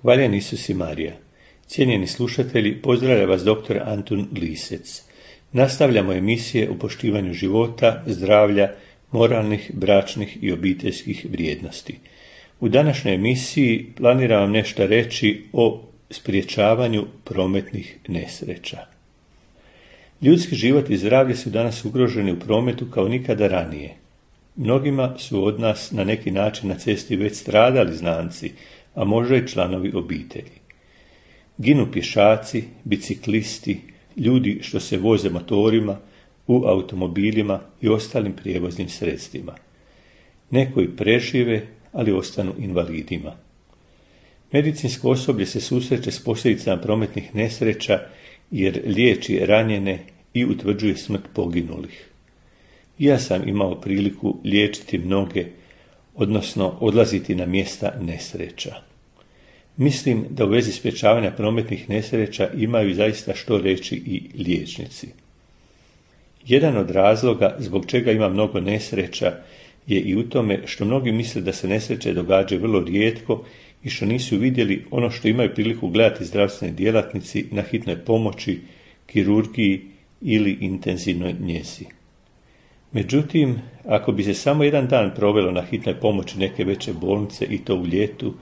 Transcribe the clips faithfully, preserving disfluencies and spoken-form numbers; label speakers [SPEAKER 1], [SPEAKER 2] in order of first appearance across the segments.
[SPEAKER 1] Hvaljen Isus i Marija. Cijenjeni slušatelji, pozdravlja vas doktor Antun Lisec. Nastavljamo emisije o poštivanju života, zdravlja, moralnih, bračnih i obiteljskih vrijednosti. U današnjoj emisiji planiram vam nešto reći o sprječavanju prometnih nesreća. Ljudski život i zdravlje su danas ugroženi u prometu kao nikada ranije. Mnogima su od nas na neki način na cesti već stradali znanci, a možda i članovi obitelji. Ginu pješaci, biciklisti, ljudi što se voze motorima, u automobilima i ostalim prijevoznim sredstvima. Neko i prežive, ali ostanu invalidima. Medicinsko osoblje se susreće s posljedicama prometnih nesreća jer liječi ranjene i utvrđuje smrt poginulih. Ja sam imao priliku liječiti mnoge, odnosno odlaziti na mjesta nesreća. Mislim da u vezi sprječavanja prometnih nesreća imaju zaista što reći i liječnici. Jedan od razloga zbog čega ima mnogo nesreća je i u tome što mnogi misle da se nesreće događaju vrlo rijetko i što nisu vidjeli ono što imaju priliku gledati zdravstveni djelatnici na hitnoj pomoći, kirurgiji ili intenzivnoj njezi. Međutim, ako bi se samo jedan dan provelo na hitnoj pomoći neke veće bolnice i to u ljetu,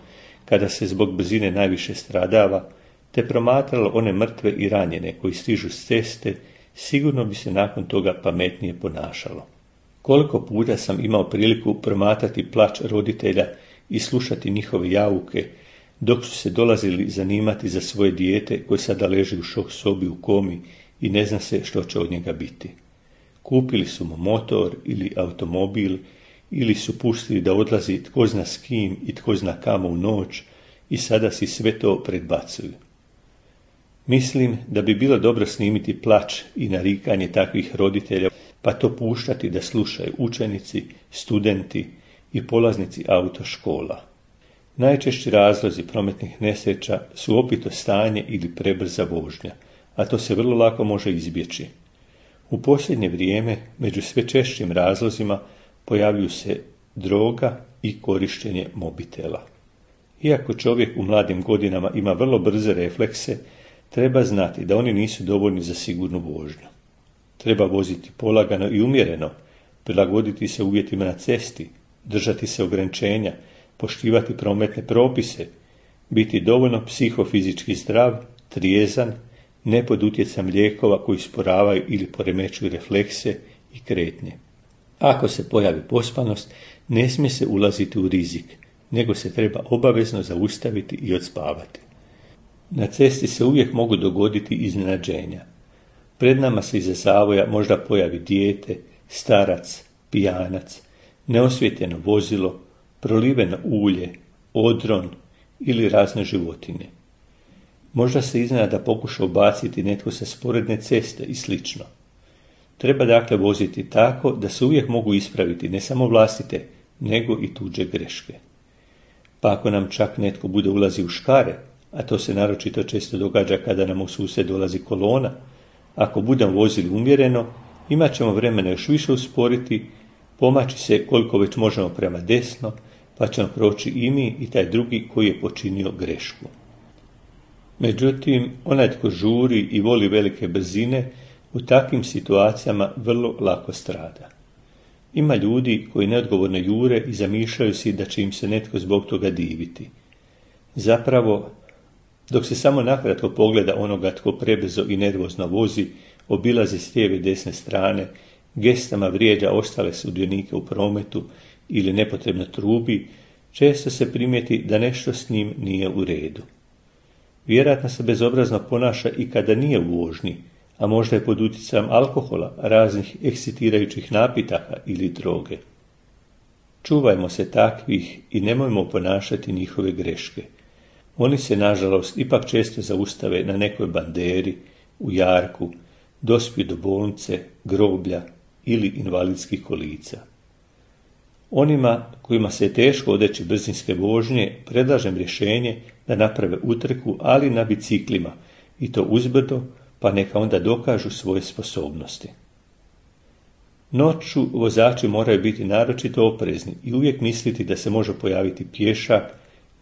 [SPEAKER 1] kada se zbog brzine najviše stradava, te promatralo one mrtve i ranjene koji stižu s ceste, sigurno bi se nakon toga pametnije ponašalo. Koliko puta sam imao priliku promatrati plać roditelja i slušati njihove jauke, dok su se dolazili zanimati za svoje dijete koje sada leži u šok sobi u komi i ne zna se što će od njega biti. Kupili su mu motor ili automobil, ili su pustili da odlazi tko zna s kim i tko zna kamo u noć i sada si sve to predbacuju. Mislim da bi bilo dobro snimiti plač i narikanje takvih roditelja, pa to puštati da slušaju učenici, studenti i polaznici autoškola. Najčešći razlozi prometnih nesreća su opito stanje ili prebrza vožnja, a to se vrlo lako može izbjeći. U posljednje vrijeme među sve češćim razlozima pojavljuju se droga i korištenje mobitela. Iako čovjek u mladim godinama ima vrlo brze reflekse, treba znati da oni nisu dovoljni za sigurnu vožnju. Treba voziti polagano i umjereno, prilagoditi se uvjetima na cesti, držati se ograničenja, poštivati prometne propise, biti dovoljno psihofizički zdrav, trijezan, ne pod utjecajem lijekova koji usporavaju ili poremećuju reflekse i kretnje. Ako se pojavi pospanost, ne smije se ulaziti u rizik, nego se treba obavezno zaustaviti i odspavati. Na cesti se uvijek mogu dogoditi iznenađenja. Pred nama se iza zavoja možda pojavi dijete, starac, pijanac, neosvijetljeno vozilo, proliveno ulje, odron ili razne životinje. Možda se iznenada pokuša ubaciti netko sa sporedne ceste i slično. Treba dakle voziti tako da se uvijek mogu ispraviti ne samo vlastite, nego i tuđe greške. Pa ako nam čak netko bude ulazi u škare, a to se naročito često događa kada nam u sused dolazi kolona, ako budemo vozili umjereno, imat ćemo vremena još više usporiti, pomaći se koliko već možemo prema desno, pa ćemo proći i mi i taj drugi koji je počinio grešku. Međutim, onaj tko žuri i voli velike brzine, u takvim situacijama vrlo lako strada. Ima ljudi koji neodgovorno jure i zamišljaju si da će im se netko zbog toga diviti. Zapravo, dok se samo nakratko pogleda onoga tko prebrzo i nervozno vozi, obilazi s lijeve i desne strane, gestama vrijeđa ostale sudionike u prometu ili nepotrebno trubi, često se primijeti da nešto s njim nije u redu. Vjerojatno se bezobrazno ponaša i kada nije u vožnji, a možda je pod utjecajem alkohola, raznih ekscitirajućih napitaka ili droge. Čuvajmo se takvih i nemojmo ponašati njihove greške. Oni se, nažalost, ipak često zaustave na nekoj banderi, u jarku, dospiju do bolnice, groblja ili invalidskih kolica. Onima kojima se je teško odreći brzinske vožnje, predlažem rješenje da naprave utrku, ali na biciklima, i to uzbrdo, pa neka onda dokažu svoje sposobnosti. Noću vozači moraju biti naročito oprezni i uvijek misliti da se može pojaviti pješak,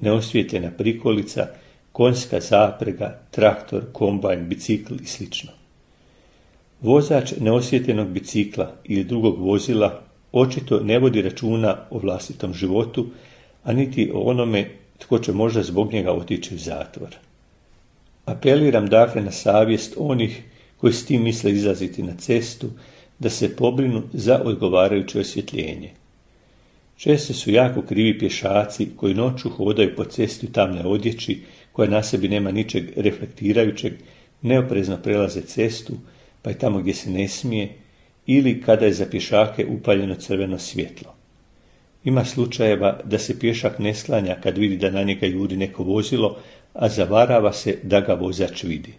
[SPEAKER 1] neosvijetljena prikolica konjska zaprega, traktor, kombajn, bicikl i sl. Vozač neosvjetljenog bicikla ili drugog vozila očito ne vodi računa o vlastitom životu, a niti o onome tko će možda zbog njega otići u zatvor. Apeliram dakle na savjest onih koji s tim misle izlaziti na cestu, da se pobrinu za odgovarajuće osvjetljenje. Često su jako krivi pješaci koji noću hodaju po cesti u tamne odjeći, koja na sebi nema ničeg reflektirajućeg, neoprezno prelaze cestu, pa i tamo gdje se ne smije, ili kada je za pješake upaljeno crveno svjetlo. Ima slučajeva da se pješak ne sklanja kad vidi da na njega juri neko vozilo, a zavarava se da ga vozač vidi.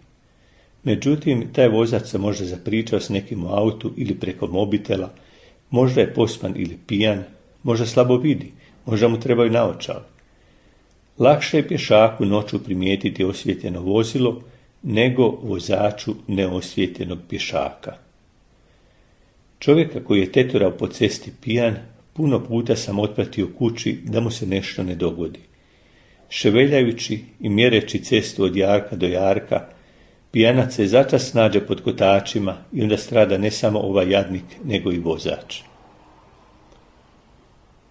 [SPEAKER 1] Međutim, taj vozač se možda zapričao s nekim u autu ili preko mobitela, možda je pospan ili pijan, možda slabo vidi, možda mu trebaju naočale. Lakše je pješaku noću primijetiti osvjetljeno vozilo nego vozaču neosvjetljenog pješaka. Čovjeka koji je teturao po cesti pijan, puno puta sam otpratio kući da mu se nešto ne dogodi. Ševeljajući i mjereći cestu od jarka do jarka, pijanac se začas nađe pod kotačima i onda strada ne samo ovaj jadnik, nego i vozač.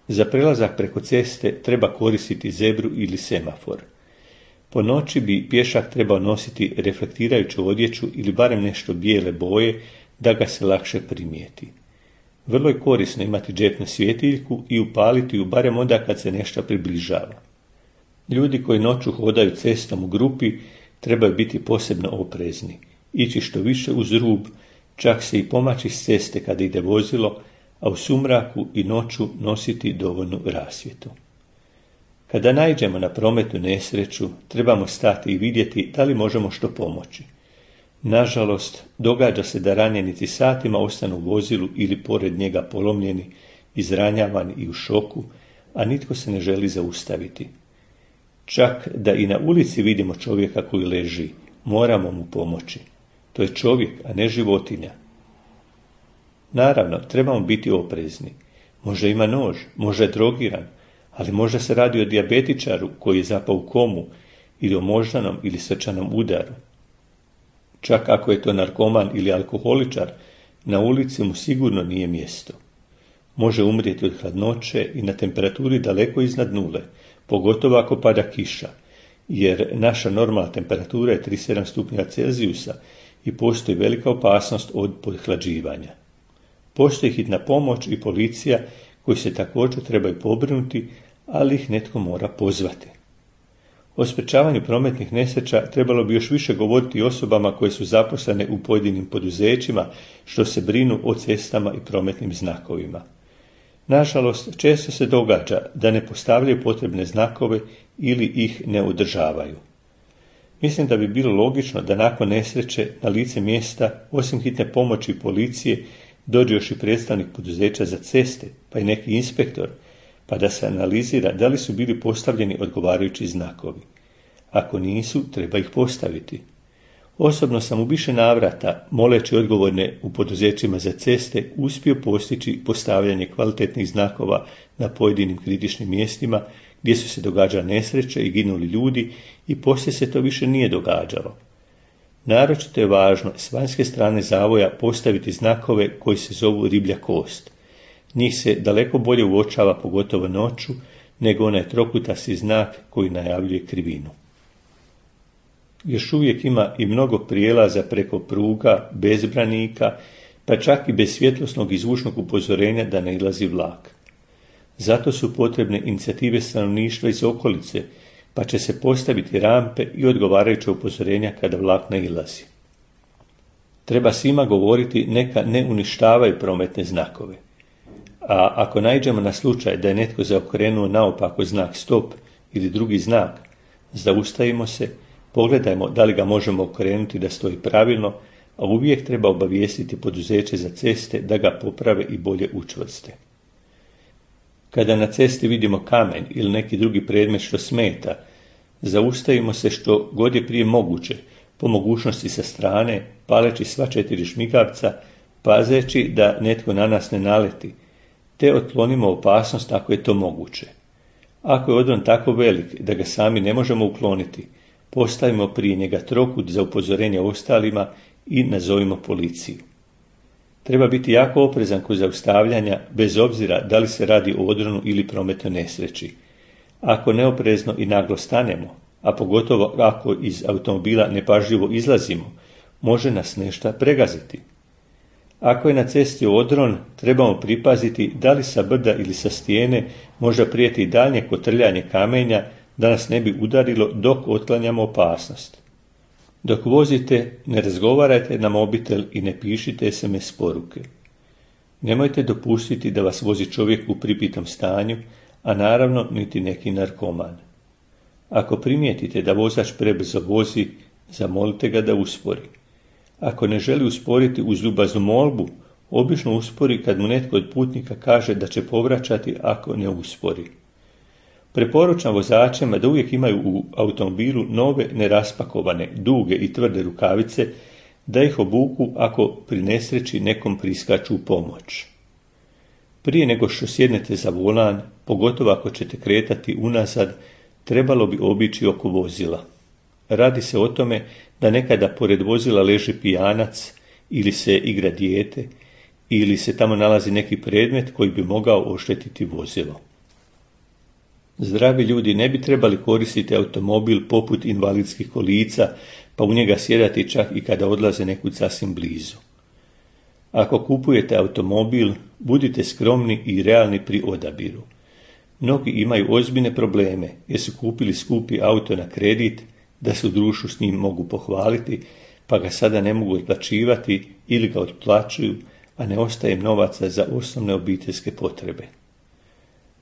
[SPEAKER 1] Za prelazak preko ceste treba koristiti zebru ili semafor. Po noći bi pješak trebao nositi reflektirajuću odjeću ili barem nešto bijele boje da ga se lakše primijeti. Vrlo je korisno imati džepnu svjetiljku i upaliti ju barem onda kad se nešto približava. Ljudi koji noću hodaju cestom u grupi trebaju biti posebno oprezni, ići što više uz rub, čak se i pomaći s ceste kada ide vozilo, a u sumraku i noću nositi dovoljnu rasvjetu. Kada naiđemo na prometnu nesreću, trebamo stati i vidjeti da li možemo što pomoći. Nažalost, događa se da ranjenici satima ostanu u vozilu ili pored njega polomljeni, izranjavani i u šoku, a nitko se ne želi zaustaviti. Čak da i na ulici vidimo čovjeka koji leži, moramo mu pomoći. To je čovjek, a ne životinja. Naravno, trebamo biti oprezni. Možda ima nož, možda je drogiran, ali možda se radi o dijabetičaru koji je zapao u komu ili o moždanom ili srčanom udaru. Čak ako je to narkoman ili alkoholičar, na ulici mu sigurno nije mjesto. Može umrijeti od hladnoće i na temperaturi daleko iznad nule, pogotovo ako pada kiša, jer naša normalna temperatura je trideset sedam stupnjeva Celzijusa i postoji velika opasnost od podhlađivanja. Postoji hitna pomoć i policija koji se također trebaju pobrinuti, ali ih netko mora pozvati. O sprečavanju prometnih nesreća trebalo bi još više govoriti osobama koje su zaposlene u pojedinim poduzećima što se brinu o cestama i prometnim znakovima. Nažalost, često se događa da ne postavljaju potrebne znakove ili ih ne održavaju. Mislim da bi bilo logično da nakon nesreće na lice mjesta, osim hitne pomoći i policije, dođe još i predstavnik poduzeća za ceste, pa i neki inspektor, pa da se analizira da li su bili postavljeni odgovarajući znakovi. Ako nisu, treba ih postaviti. Osobno sam u više navrata, moleći odgovorne u poduzećima za ceste, uspio postići postavljanje kvalitetnih znakova na pojedinim kritičnim mjestima gdje su se događale nesreće i ginuli ljudi i poslije se to više nije događalo. Naročito je važno s vanjske strane zavoja postaviti znakove koji se zovu riblja kost. Njih se daleko bolje uočava, pogotovo noću, nego onaj trokutasti znak koji najavljuje krivinu. Još uvijek ima i mnogo prijelaza preko pruga, bez branika, pa čak i bez svjetlosnog i zvučnog upozorenja da ne ilazi vlak. Zato su potrebne inicijative stanovništva iz okolice, pa će se postaviti rampe i odgovarajuće upozorenja kada vlak ne ilazi. Treba svima govoriti neka ne uništavaju prometne znakove. A ako naiđemo na slučaj da je netko zaokrenuo naopako znak stop ili drugi znak, zaustavimo se, pogledajmo da li ga možemo okrenuti da stoji pravilno, a uvijek treba obavijestiti poduzeće za ceste da ga poprave i bolje učvrste. Kada na cesti vidimo kamen ili neki drugi predmet što smeta, zaustavimo se što god je prije moguće, po mogućnosti sa strane, paleći sva četiri šmigavca, pazeći da netko na nas ne naleti, te otklonimo opasnost ako je to moguće. Ako je odron tako velik da ga sami ne možemo ukloniti, postavimo prije njega trokut za upozorenje ostalima i nazovimo policiju. Treba biti jako oprezan kod zaustavljanja, bez obzira da li se radi o odronu ili prometnoj nesreći. Ako neoprezno i naglo stanemo, a pogotovo ako iz automobila nepažljivo izlazimo, može nas nešto pregaziti. Ako je na cesti odron, trebamo pripaziti da li sa brda ili sa stijene možda prijeti daljnje kotrljanje kamenja da nas ne bi udarilo dok otklanjamo opasnost. Dok vozite, ne razgovarajte na mobitel i ne pišite es em es poruke. Nemojte dopustiti da vas vozi čovjek u pripitom stanju, a naravno niti neki narkoman. Ako primijetite da vozač prebrzo vozi, zamolite ga da uspori. Ako ne želi usporiti uz ljubaznu molbu, obično uspori kad mu netko od putnika kaže da će povraćati ako ne uspori. Preporučam vozačima da uvijek imaju u automobilu nove neraspakovane, duge i tvrde rukavice, da ih obuku ako pri nesreći nekom priskaču u pomoć. Prije nego što sjednete za volan, pogotovo ako ćete kretati unazad, trebalo bi obići oko vozila. Radi se o tome da nekada pored vozila leži pijanac ili se igra dijete ili se tamo nalazi neki predmet koji bi mogao oštetiti vozilo. Zdravi ljudi ne bi trebali koristiti automobil poput invalidskih kolica, pa u njega sjedati čak i kada odlaze nekud sasvim blizu. Ako kupujete automobil, budite skromni i realni pri odabiru. Mnogi imaju ozbiljne probleme jer su kupili skupi auto na kredit, da se u društvu s njim mogu pohvaliti, pa ga sada ne mogu otplaćivati ili ga otplaćuju, a ne ostaje im novaca za osnovne obiteljske potrebe.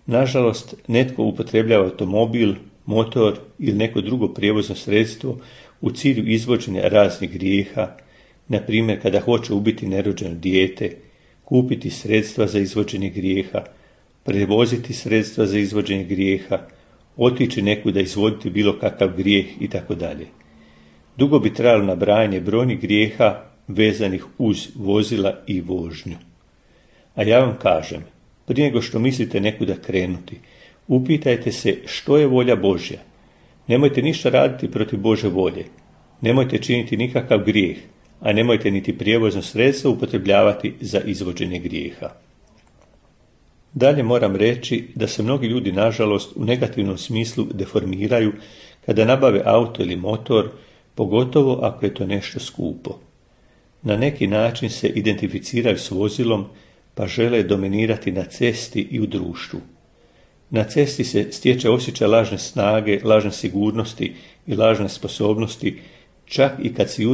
[SPEAKER 1] Nažalost, netko upotrebljava automobil, motor ili neko drugo prijevozno sredstvo u cilju izvođenja raznih grijeha, na primjer kada hoće ubiti nerođeno dijete, kupiti sredstva za izvođenje grijeha, prevoziti sredstva za izvođenje grijeha, otići nekuda izvoditi bilo kakav grijeh itd. Dugo bi trajalo nabrajanje brojnih grijeha vezanih uz vozila i vožnju. A ja vam kažem, prije nego što mislite nekuda krenuti, upitajte se što je volja Božja. Nemojte ništa raditi protiv Božje volje. Nemojte činiti nikakav grijeh, a nemojte niti prijevozno sredstvo upotrebljavati za izvođenje grijeha. Dalje moram reći da se mnogi ljudi, nažalost, u negativnom smislu deformiraju kada nabave auto ili motor, pogotovo ako je to nešto skupo. Na neki način se identificiraju s vozilom, pa žele dominirati na cesti i u društvu. Na cesti se stječe osjećaj lažne snage, lažne sigurnosti i lažne sposobnosti, čak i kad si